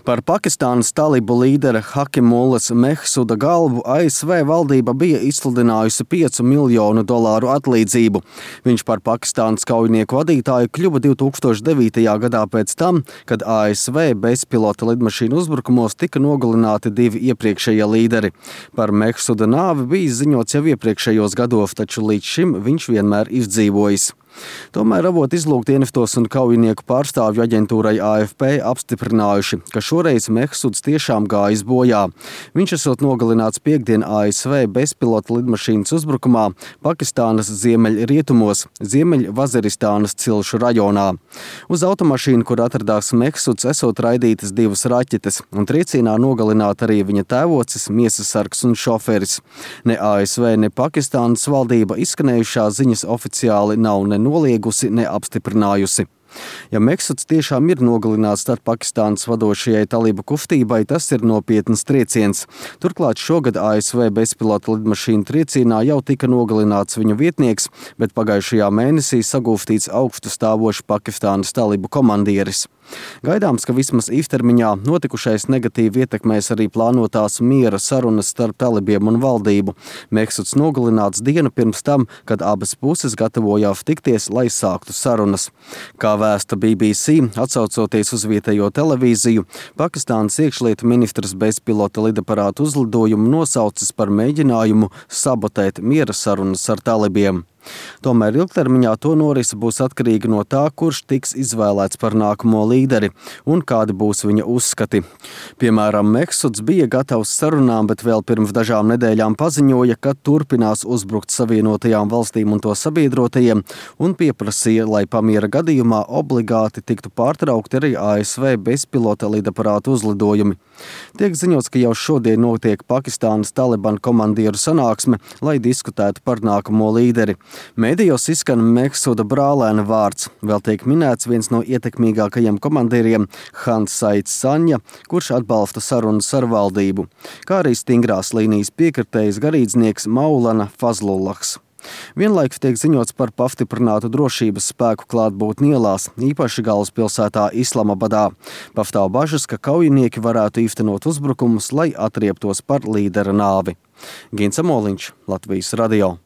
Par Pakistānas talibu līdera Hakimullas Mehsuda galvu ASV valdība bija izsludinājusi $5 miljonu atlīdzību. Viņš par Pakistānas kaujinieku vadītāju kļuva 2009. gadā pēc tam, kad ASV bezpilota lidmašīnu uzbrukumos tika nogalināti 2 iepriekšējie līderi. Par Mehsuda nāvi bija ziņots jau iepriekšējos gados, taču līdz šim viņš vienmēr izdzīvojis. Tomēr avoti izlūkdienestos un kaujinieku pārstāvju aģentūrai AFP apstiprinājuši, ka šoreiz Mehsuds tiešām gājis bojā. Viņš esot nogalināts piektdien ASV bezpilota lidmašīnas uzbrukumā Pakistānas ziemeļrietumos, Ziemeļvaziristānas cilšu rajonā. Uz automašīnu, kur atradās Mehsuds, esot raidītas 2 raķetes, un triecienā nogalināta arī viņa tēvocis, miesasargs un šoferis. Ne ASV, ne Pakistānas valdība izskanējušās ziņas oficiāli nav nenoliegusi, ne apstiprinājusi. Ja Mehsuds tiešām ir nogalināts, tad Pakistānas vadošajai talibu kustībai tas ir nopietns trieciens. Turklāt šogad ASV bezpilota lidmašīnu triecienā jau tika nogalināts viņu vietnieks, bet pagājušajā mēnesī sagūstīts augstu stāvošs Pakistānas talibu komandieris. Gaidāms, ka vismaz īstermiņā notikušais negatīvi ietekmēs arī plānotās miera sarunas starp talibiem un valdību. Mehsuds nogalināts dienu pirms tam, kad abas puses gatavojās tikties, lai sāktu sarunas. Kā vēsta BBC, atsaucoties uz vietējo televīziju, Pakistānas iekšlietu ministrs bezpilota lidaparātu uzlidojumu nosaucis par mēģinājumu sabotēt miera sarunas ar talibiem. Tomēr ilgtermiņā to norise būs atkarīga no tā, kurš tiks izvēlēts par nākamo līderi un kādi būs viņa uzskati. Piemēram, Mehsuds bija gatavs sarunām, bet vēl pirms dažām nedēļām paziņoja, ka turpinās uzbrukt Savienotajām valstīm un to sabiedrotajiem un pieprasīja, lai pamiera gadījumā obligāti tiktu pārtraukti arī ASV bezpilota lidaparātu uzlidojumi. Tiek ziņots, ka jau šodien notiek Pakistānas Taliban komandieru sanāksme, lai diskutētu par nākamo līderi. Mēdījos izskan Mehsuda brālēna vārds. Vēl tiek minēts viens no ietekmīgākajiem komandieriem Hans Saits Sanja, kurš atbalsta sarunas ar valdību, kā arī stingrās līnijas piekritējs garīdznieks Maulana Fazlullahs. Vienlaikus tiek ziņots par pastiprinātu drošības spēku klātbūtni ielās, īpaši galvaspilsētā Islamabadā. Pastāv bažas, ka kaujinieki varētu īstenot uzbrukumus, lai atrieptos par līdera nāvi. Gins Amoliņš, Latvijas radio.